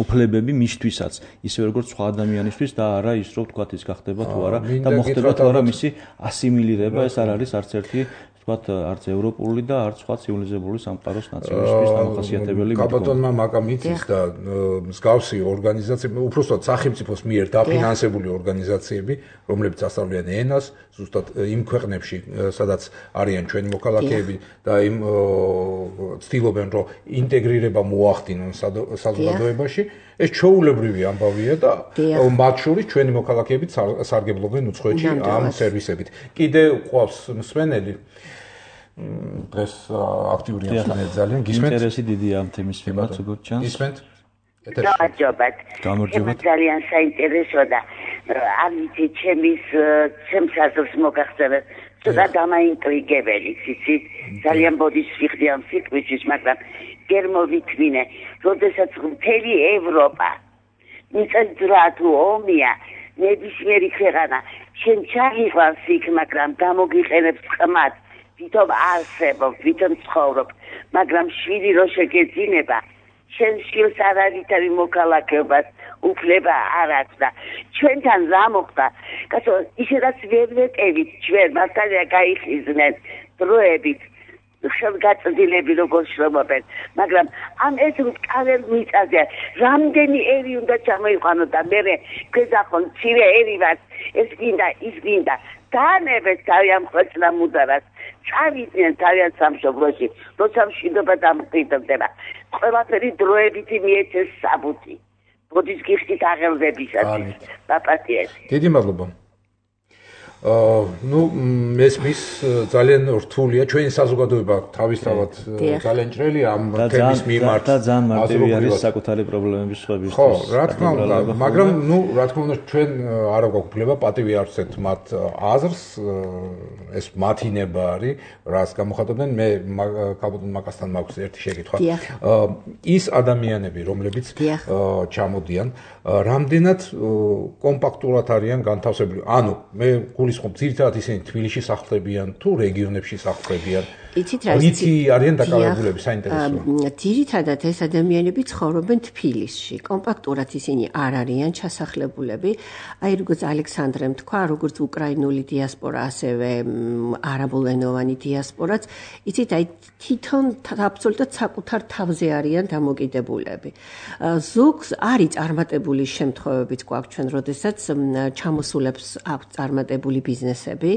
უფლებები მისთვისაც ისე როგორც სხვა ადამიანისთვის და არა ის რომ თქვათ ის გახდება თუ არა და მოხდება თუ არა მისი ასიმილირება ეს არ არის არც ერთი თქვათ არც ევროპული და არც სხვა ცივილიზებული სამყაროს ნაწილისთვის დამახასიათებელი მდგომარეობა. კაბატონმა მაკამ იცის და მსგავსი ორგანიზაციები, უბრალოდ სახელმწიფოს მიერ დაფინანსებული ორგანიზაციები, რომლებიც ასწავლიან ენას, ზუსტად იმ ქვეყნებში, სადაც არიან ჩვენი მოქალაქეები და იმ ცდილობენ რომ ინტეგრირება მოახდინონ საზოგადოებაში, ეს ჩვეულებრივი ამბავია და მათ შორის ჩვენი მოქალაქეებიც სარგებლობენ უცხოეთში ამ სერვისებით. კიდევ ყავს მსმენელი დღეს აქტიური ამბავია ძალიან გისმენთ ინტერესი დიდია ამ თემის მიმართ როგორც ჩანს გისმენთ გამარჯობათ გამარჯობათ ძალიან საინტერესო და არ ვიცი ჩემის ჩემს აზრს მოგახსენეთ ცოტა დამაინტრიგებელი ციცით ძალიან ბოდის ვიხდი ამ სიტყვისთვის მაგრამ გერ მოვითმინე როდესაც მთელი ევროპა მიწა თუ ომია ნებისმიერი ქვეყანა შენ ჩაიყვანს იქ მაგრამ გამოგიყენებს ხმად ვითომ არსებობ ვითომ ცხოვრობ მაგრამ შვილი რო შეგეძინება შენ შილს არ ავითარი მოქალაქეობას უფლება არ აქვს და ჩვენთან რა მოხდა კაცო ისედაც ვერ ვეტევით ჩვენ მასალია გაიხიზნენ დროებით ხელგაწვდილები როგორ შრომობენ მაგრამ ამ ეს რკაվել მიწაზე რამდენი ერი უნდა ჩამოიყვანო და მე გეზახონ ცირე ერი ვარ ეს გინდა ის გინდა დაანებეთ თავიანთ ხვეწლა მუდარას წავიდნენ თავიანთ სამშობლოში როცა მშვიდობა დამყიდდება ყველაფერი დროებითი მიეცეს საბუთი ბოდის გიხდით აღელვებისათვის პაპატიესი დიდი მადლობა ну მესმის ძალიან რთულია ჩვენი საზოგადოება თავისთავად ძალიან ჭრელი ამ თემის მიმართ და ძალიან მარტივი არის საკუთარი პრობლემების ხვების ხო რა თქმა უნდა მაგრამ ну რა თქმა უნდა ჩვენ არ გვაქვს პატივი არცეთ მათ აზრს ეს მათინება არის რას გამოხატავდნენ მე კაბატონ მაკასთან მაქვს ერთი შეკითხვა ის ადამიანები რომლებიც ჩამოდიან რამდენად კომპაქტურად არიან განთავსებული ანუ მე გულისხმობ ძირითადად ისინი თბილისში სახლდებიან თუ რეგიონებში სახლდებიან იცით რა ვიცი არიან დაკავებულები საინტერესოა ძირითადად ეს ადამიანები ცხოვრობენ თბილისში კომპაქტურად ისინი არ არიან ჩასახლებულები აი როგორც ალექსანდრემ თქვა როგორც უკრაინული დიასპორა ასევე არაბულენოვანი დიასპორაც იცით აი თვითონ აბსოლუტურად საკუთარ თავზე არიან დამოკიდებულები ზოგს არის წარმატებული შემთხვევებიც გვაქვს ჩვენ როდესაც ჩამოსულებს აქვს წარმატებული ბიზნესები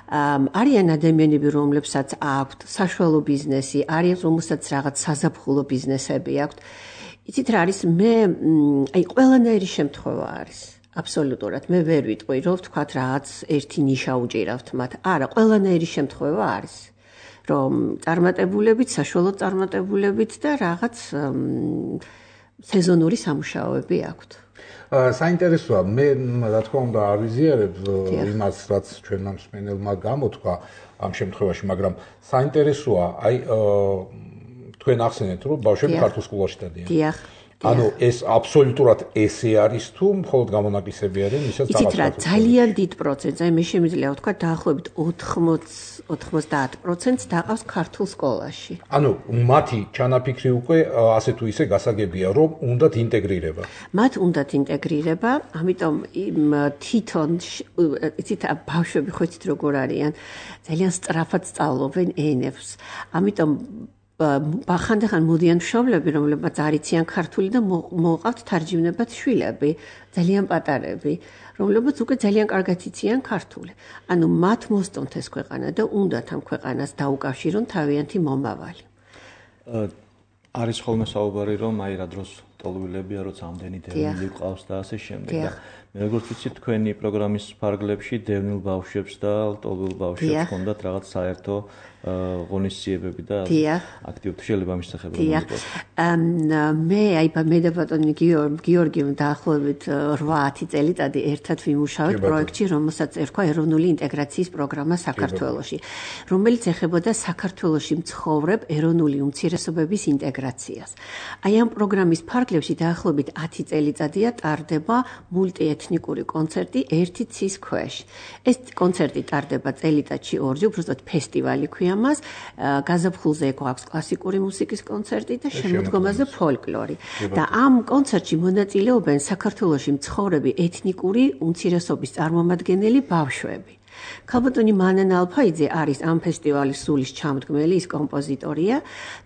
არიან ადამიანები რომლებსაც აქვს აქვთ საშუალო ბიზნესი, არის რომელსაც რაღაც საზაფხულო ბიზნესები აქვთ. იცით რა არის მე აი ყველანაირი შემთხვევა არის. აბსოლუტურად მე ვერ ვიტყვი რომ ვთქვათ რაღაც ერთი ნიშა უჭირავთ მათ. არა, ყველანაირი შემთხვევა არის. რომ წარმატებულებით, საშუალო წარმატებულებით და რაღაც სეზონური სამუშაოები აქვთ. საინტერესოა, მე რა თქმა უნდა არ ვიზიარებ იმას, რაც ჩვენმა მსმენელმა გამოთქვა ამ შემთხვევაში, მაგრამ საინტერესოა, აი თქვენ ახსენეთ, რომ ბავშვები ქართულ სკოლაში დადიან. დიახ. ანუ ეს აბსოლუტურად ესე არის თუ მხოლოდ გამონაკლისები არიან, ისაც იცით რა, ძალიან დიდ პროცენტს, აი მე შემიძლია ვთქვა დაახლოებით ოთხმოცი ოცდაათ პროცენტს დაყავს ქართულ სკოლაში. ანუ მათი ჩანაფიქრი უკვე ასე თუ ისე გასაგებია, რომ უნდათ ინტეგრირება. მათ უნდათ ინტეგრირება, ამიტომ თვითონ იცით ბავშვები ხო იცით როგორ არიან, ძალიან სწრაფად სწავლობენ ენებს. ამიტომ ხანდახან მოდიან მშობლები, რომლებმაც არ იციან ქართული და მოყავთ თარჯიმნებად შვილები, ძალიან პატარები, რომლებმაც უკვე ძალიან კარგად იციან ქართული. ანუ მათ მოსწონთ ეს ქვეყანა და უნდათ ამ ქვეყანას დაუკავშირონ თავიანთი მომავალი. არის ხოლმე საუბარი, რომ აი რა დროს ტოლვილებია, როცა ამდენი დევნილი ყავს და ასე შემდეგ და მე როგორც ვიცი თქვენი პროგრამის ფარგლებში დევნილ ბავშვებს და ტოლვილ ბავშვებს ჰქონდათ რაღაც საერთო ღონისძიებები და აქტივობები შეიძლება ამის სახელი მოგვიყვეთ. მე აი მე და ბატონი გიორგიმ დაახლოებით რვა-ათი წელიწადი ერთად ვიმუშავეთ პროექტში, რომელსაც ერქვა ეროვნული ინტეგრაციის პროგრამა საქართველოში, რომელიც ეხებოდა საქართველოში მცხოვრებ ეროვნული უმცირესობების ინტეგრაციას. აი ამ პროგრამის ფარგლებში დაახლოებით ათი წელიწადია ტარდება მულტიეთნიკური კონცერტი ერთი ცის ქვეშ. ეს კონცერტი ტარდება წელიწადში ორჯერ, უბრალოდ ფესტივალი ქვია მას, გაზაფხულზე გვაქვს კლასიკური მუსიკის კონცერტი და შემოდგომაზე ფოლკლორი. და ამ კონცერტში მონაწილეობენ საქართველოში მცხოვრები ეთნიკური უმცირესობის წარმომადგენელი ბავშვები. ქალბატონი მანანა ალფაიძე არის ამ ფესტივალის სულის ჩამდგმელი, ის კომპოზიტორია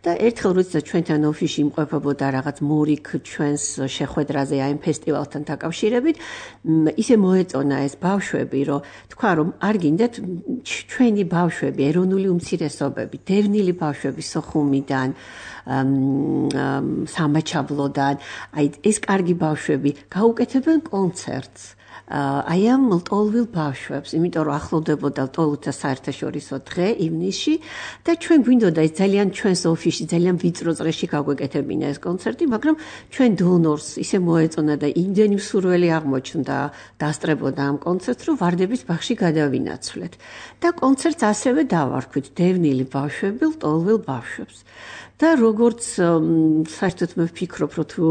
და ერთხელ როდესაც ჩვენთან ოფისში იმყოფებოდა რაღაც მურიქ ჩვენს შეხვედრაზე აი ამ ფესტივალთან დაკავშირებით, ისე მოეწონა ეს ბავშვები, რომ თქვა რომ არ გინდათ ჩვენი ბავშვები, ეროვნული უმცირესობები, დევნილი ბავშვები სოხუმიდან, სამაჩაბლოდან, აი ეს კარგი ბავშვები გაუკეთებენ კონცერტს. აი ამ ტოლვილ ბავშვებს, იმიტომ რომ ახლოვდებოდა ტოლუთა საერთაშორისო დღე ივნისში და ჩვენ გვინდოდა ეს ძალიან ჩვენს ოფისში ძალიან ვიწრო წრეში გაგვეკეთებინა ეს კონცერტი, მაგრამ ჩვენ დონორს ისე მოეწონა და იმდენი მსურველი აღმოჩნდა დასწრებოდა ამ კონცერტს, რომ ვარდების ბაღში გადავინაცვლეთ. და კონცერტს ასევე დავარქვით დევნილი ბავშვები ტოლვილ ბავშვებს. და როგორც საერთოდ მე ვფიქრობ, რომ თუ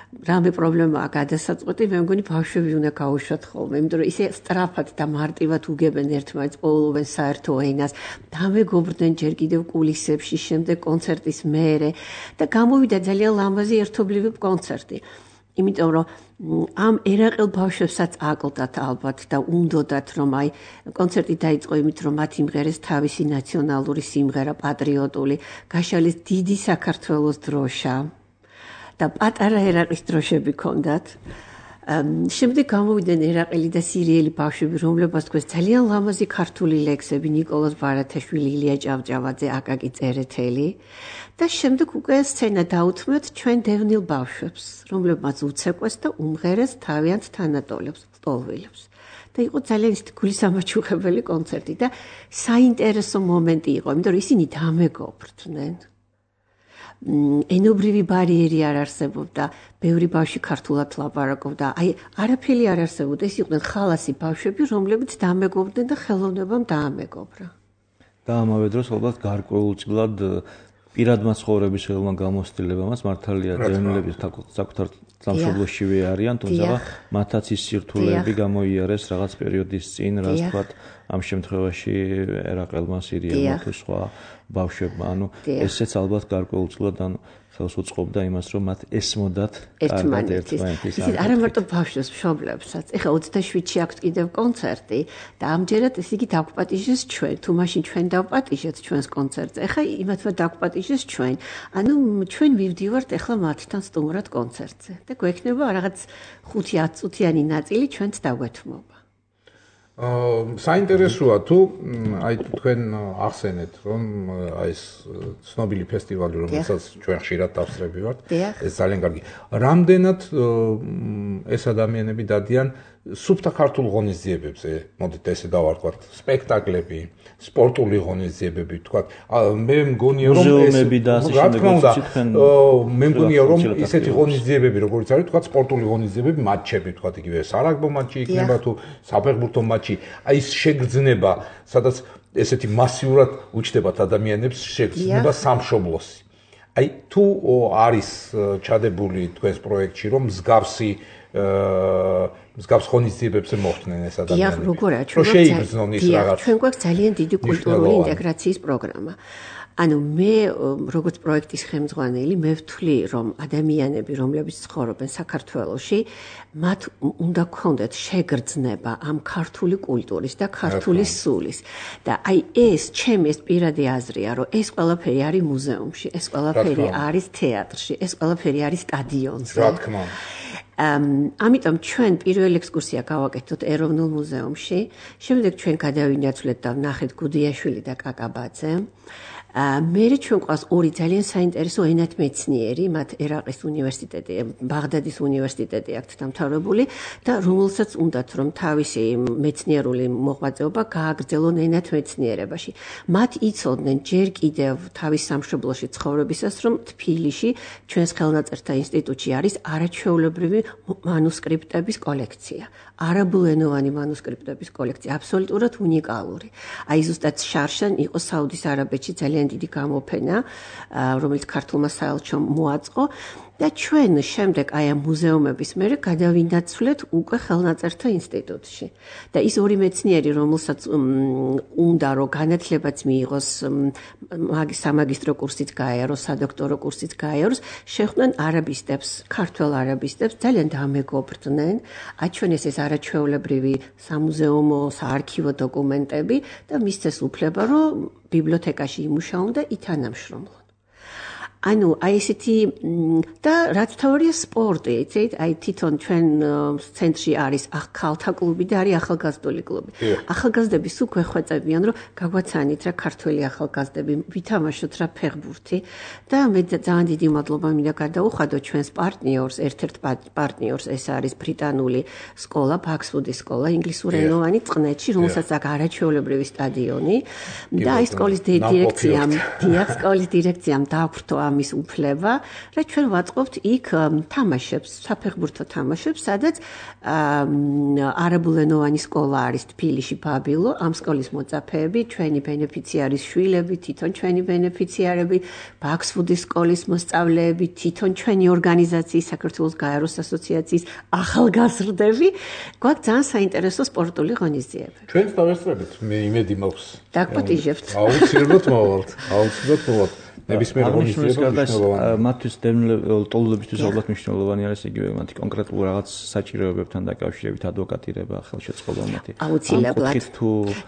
რამე პრობლემაა გადასაწყვეტი, მე მგონი ბავშვები უნდა გაუშვათ ხოლმე, იმიტომ რომ ისე სწრაფად და მარტივად უგებენ ერთმანეთს, პოულობენ საერთო ენას, დამეგობრდნენ ჯერ კიდევ კულისებში, შემდეგ კონცერტის მერე და გამოვიდა ძალიან ლამაზი ერთობლივი კონცერტი. იმიტომ რომ ამ ერაყელ ბავშვებსაც აკლდათ ალბათ და უნდოდათ რომ აი კონცერტი დაიწყო იმით რომ მათ იმღერეს თავისი ნაციონალური სიმღერა პატრიოტული, გაშალეს დიდი საქართველოს დროშა და პატარა ერაყის დროშები ქონდათ. შემდეგ გამოვიდნენ ერაყელი და სირიელი ბავშვები, რომლებსაც თქვენ ძალიან ლამაზი ქართული ლექსები ნიკოლოზ ბარათაშვილი, ილია ჭავჭავაძე, აკაკი წერეთელი და შემდეგ უკვე სცენა დაუთმეთ ჩვენ დევნილ ბავშვებს, რომლებსაც უცეკვეს და უმღერეს თავიანთ თანატოლებს, ტოლვილებს. და იყო ძალიან ისეთი გულისამაჩუხებელი კონცერტი და საინტერესო მომენტი იყო, იმიტომ რომ ისინი დამეგობრდნენ. ენობრივი ბარიერი არ არსებობდა, ბევრი ბავშვი ქართულად ლაპარაკობდა, აი არაფერი არ არსებობდა, ეს იყვნენ ხალასი ბავშვები, რომლებიც დამეგობრდნენ და ხელოვნებამ დაამეგობრა. და ამავე დროს ალბათ გარკვეულწილად პირადმა ცხოვრების ხელმა გამოცდილებამაც მართალია დევნილების საკუთარ სამშობლოშივე არიან, თუმცა მათაც ის სირთულეები გამოიარეს რაღაც პერიოდის წინ, რაც თქვათ ამ შემთხვევაში ერაყელმა, სირიელმა თუ სხვა ბავშვებმა, ანუ ესეც ალბათ გარკვეულწილად ანუ ხელს უწყობდა იმას, რომ მათ ესმოდათ კარგად ერთმანეთის. ისიც არა მარტო ბავშვებს, მშობლებსაც. ეხლა ოცდაშვიდში აქვს კიდევ კონცერტი და ამჯერად ეს იგი დაგვპატიჟეს ჩვენ, თუ მაშინ ჩვენ დავპატიჟეთ ჩვენს კონცერტზე. ეხლა იმათმა დაგვპატიჟეს ჩვენ. ანუ ჩვენ მივდივართ ეხლა მათთან სტუმრად კონცერტზე და გვექნება რაღაც ხუთი-ათი წუთიანი ნაწილი ჩვენც დაგვეთმობა. საინტერესოა თუ აი თქვენ ახსენეთ რომ აი ეს ცნობილი ფესტივალი რომელსაც ჩვენ ხშირად დავსწრები ვართ ეს ძალიან კარგი. რამდენად ეს ადამიანები დადიან სუფთა ქართულ ღონისძიებებზე, მოდით ესე დავარქვათ, სპექტაკლები, სპორტული ღონისძიებები, თქვათ, მე მგონია რომ ეს რა თქმა უნდა, მე მგონია რომ ესეთი ღონისძიებები, როგორც არის, თქვათ, სპორტული ღონისძიებები, მატჩები, თქვათ, იგივე სარაგბო მატჩი იქნება თუ საფეხბურთო მატჩი, აი ეს შეგრძნება, სადაც ესეთი მასიურად უჩნდებათ ადამიანებს შეგრძნება სამშობლოსი. აი თუ არის ჩადებული თქვენს პროექტში რომ მსგავსი მსგავს ღონისძიებებზე მოხდნენ ეს ადამიანები. დიახ, როგორია, ჩვენ გვაქვს ძალიან დიდი კულტურული ინტეგრაციის პროგრამა. ანუ მე როგორც პროექტის ხელმძღვანელი მე ვთვლი რომ ადამიანები რომლებიც ცხოვრობენ საქართველოში მათ უნდა გქონდეთ შეგრძნება ამ ქართული კულტურის და ქართული სულის და აი ეს ჩემი ეს პირადი აზრია რომ ეს ყველაფერი არის მუზეუმში, ეს ყველაფერი არის თეატრში, ეს ყველაფერი არის სტადიონზე. რა თქმა უნდა. ამიტომ ჩვენ პირველი ექსკურსია გავაკეთოთ ეროვნულ მუზეუმში, შემდეგ ჩვენ გადავინაცვლეთ და ვნახეთ გუდიაშვილი და კაკაბაძე. მერე ჩვენ ყავს ორი ძალიან საინტერესო ენათმეცნიერი, მათ ერაყის უნივერსიტეტი, ბაღდადის უნივერსიტეტი აქვთ დამთავრებული და რომელსაც უნდათ რომ თავისი მეცნიერული მოღვაწეობა გააგრძელონ ენათმეცნიერებაში. მათ იცოდნენ ჯერ კიდევ თავის სამშობლოში ცხოვრებისას, რომ თბილისში ჩვენს ხელნაწერთა ინსტიტუტში არის არაჩვეულებრივი მანუსკრიპტების კოლექცია. არაბულენოვანი მანუსკრიპტების კოლექცია, აბსოლუტურად უნიკალური. აი ზუსტად შარშან იყო საუდის არაბეთში ძალიან დიდი გამოფენა, რომელიც ქართულმა საელჩომ მოაწყო და ჩვენ შემდეგ აი ამ მუზეუმების მერე გადავინაცვლეთ უკვე ხელნაწერთა ინსტიტუტში. და ის ორი მეცნიერი, რომელსაც უნდა რომ განათლებაც მიიღოს, სამაგისტრო კურსიც გაიაროს, სადოქტორო კურსიც გაიაროს, შეხვდნენ არაბისტებს, ქართველ არაბისტებს, ძალიან დამეგობრდნენ, აჩვენეს ეს არაჩვეულებრივი სამუზეუმო, საარქივო დოკუმენტები და მისცეს უფლება, რომ ბიბლიოთეკაში იმუშაონ და ითანამშრომლონ. ანუ აი ესეთი და რაც თავია სპორტი, იცით, აი თვითონ ჩვენ ცენტრში არის ახალთა კლუბი და არის ახალგაზრდული კლუბი. ახალგაზრდები სულ გვეხვეწებიან, რომ გაგვაცანით რა ქართველი ახალგაზრდები, ვითამაშოთ რა ფეხბურთი და მე ძალიან დიდი მადლობა მინდა გადაუხადო ჩვენს პარტნიორს, ერთ-ერთ პარტნიორს, ეს არის ბრიტანული სკოლა, ბაქსვუდის სკოლა, ინგლისურენოვანი წყნეთში, რომელსაც აქვს არაჩვეულებრივი სტადიონი და აი სკოლის დირექციამ, დიახ, სკოლის დირექციამ დააქვრთო ამის უფლება, რა ჩვენ ვაწყობთ იქ თამაშებს, საფეხბურთო თამაშებს, სადაც არაბულენოვანი სკოლა არის თბილისში ბაბილო, ამ სკოლის მოწაფეები, ჩვენი ბენეფიციარის შვილები, თვითონ ჩვენი ბენეფიციარები, ბაქსვუდის სკოლის მოსწავლეები, თვითონ ჩვენი ორგანიზაციის, საქართველოს გაეროს ასოციაციის ახალგაზრდები, გვაქვს ძალიან საინტერესო სპორტული ღონისძიებები. ჩვენს დავესწრებით, მე იმედი მაქვს. დაგპატიჟებთ. აუცილებლად მოვალთ, აუცილებლად მოვალთ. ნებისმიერ ღონისძიებაში მათთვის ტოლობისთვის ალბათ მნიშვნელოვანი არის იგივე მათი კონკრეტულ რაღაც საჭიროებებთან დაკავშირებით ადვოკატირება, ხელშეწყობა მათი. აუცილებლად.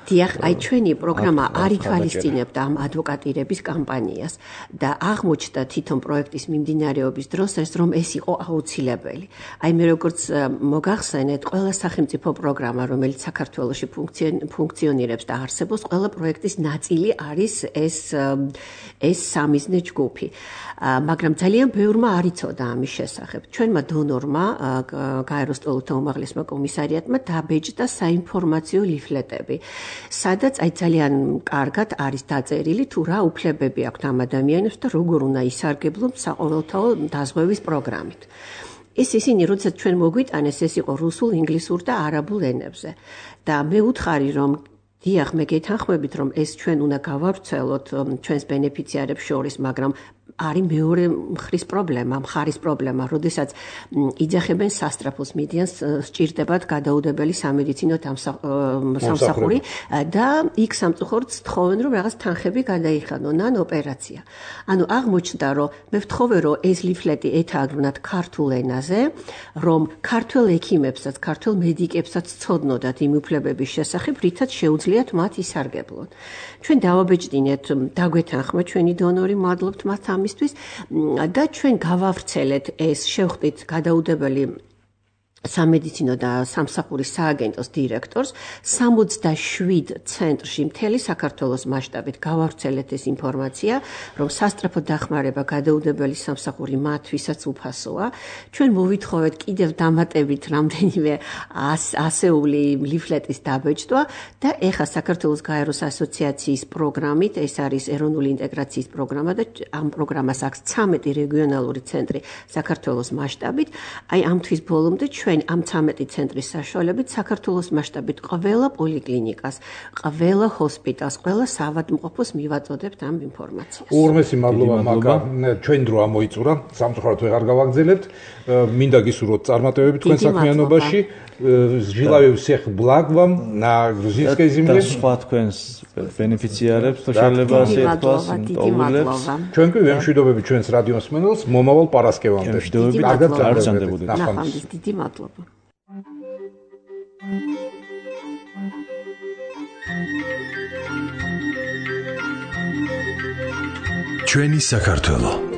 დიახ, აი ჩვენი პროგრამა არ ითვალისწინებდა ამ ადვოკატირების კამპანიას და აღმოჩნდა თვითონ პროექტის მიმდინარეობის დროს ეს რომ ეს იყო აუცილებელი. აი მე როგორც მოგახსენეთ, ყველა სახელმწიფო პროგრამა, რომელიც საქართველოში ფუნქციონირებს და არსებობს, ყველა პროექტის ნაწილი არის ეს ეს სამიზნე ჯგუფი. მაგრამ ძალიან ბევრმა არ იცოდა ამის შესახებ. ჩვენმა დონორმა, გაეროს სტოლთა უმაღლესმა კომისარიატმა დაბეჭდა საინფორმაციო ლიფლეტები, სადაც აი ძალიან კარგად არის დაწერილი თუ რა უფლებები აქვთ ამ ადამიანებს და როგორ უნდა ისარგებლონ საყოველთაო დაზღვევის პროგრამით. ეს ისინი, როდესაც ჩვენ მოგვიტანეს, ეს იყო რუსულ, ინგლისურ და არაბულ ენებზე. და მე უთხარი, რომ დიახ, მე გეთანხმებით, რომ ეს ჩვენ უნდა გავავრცელოთ ჩვენს ბენეფიციარებს შორის, მაგრამ არის მეორე მხრის პრობლემა, მხარის პრობლემა, როდესაც იძახებენ სასტრაფოს მიდიანს, სჭირდებათ გადაუდებელი სამედიცინო სამსახური და იქ სამწუხაროდ თხოვენ, რომ რაღაც თანხები გადაიხადონ ან ოპერაცია. ანუ აღმოჩნდა, რომ მე ვთხოვე, რომ ეს ლიფლეტი ეთაგრუნათ ქართულ ენაზე, რომ ქართველ ექიმებსაც, ქართველ მედიკებსაც ცოდნოდათ იმ უფლებების შესახებ, რითაც შეუძლიათ მათ ისარგებლონ. ჩვენ დავაბეჭდინეთ, დაგვეთანხმა ჩვენი დონორი, მადლობთ მათ ამისთვის და ჩვენ გავავრცელეთ ეს შევხვდით გადაუდებელი სამედიცინო და სამსახურის სააგენტოს დირექტორს სამოცდაშვიდ ცენტრში მთელი საქართველოს მასშტაბით გავავრცელეთ ეს ინფორმაცია, რომ სასწრაფო დახმარება გადაუდებელი სამსახური მათ, ვისაც უფასოა. ჩვენ მოვითხოვეთ კიდევ დამატებით რამდენიმე ასეული ლიფლეტის დაბეჭდვა და ეხა საქართველოს გაეროს ასოციაციის პროგრამით, ეს არის ეროვნული ინტეგრაციის პროგრამა და ამ პროგრამას აქვს ცამეტი რეგიონალური ცენტრი საქართველოს მასშტაბით. აი ამ თვის ბოლომდე ჩვენ ამ ცამეტი ცენტრის საშუალებით საქართველოს მასშტაბით ყველა პოლიკლინიკას, ყველა ჰოსპიტალს, ყველა საავადმყოფოს მივაწოდებთ ამ ინფორმაციას. ურმესი მადლობა მაგა, ჩვენ დრო ამოიწურა, სამწუხაროდ ვეღარ გავაგზელებთ. მინდა გისურვოთ წარმატებები თქვენ საქმიანობაში. Желаю всех благ вам на грузинской земле. და სხვა თქვენს ბენეფიციარებს შეიძლება ასე ითქვას, ტოვულებს. ჩვენ კი ვემშვიდობებით ჩვენს რადიო მსმენელს მომავალ პარასკევამდე. კარგად გაგრძელდებოდეთ. ნახვამდის დიდი მადლობა. ჩვენი საქართველო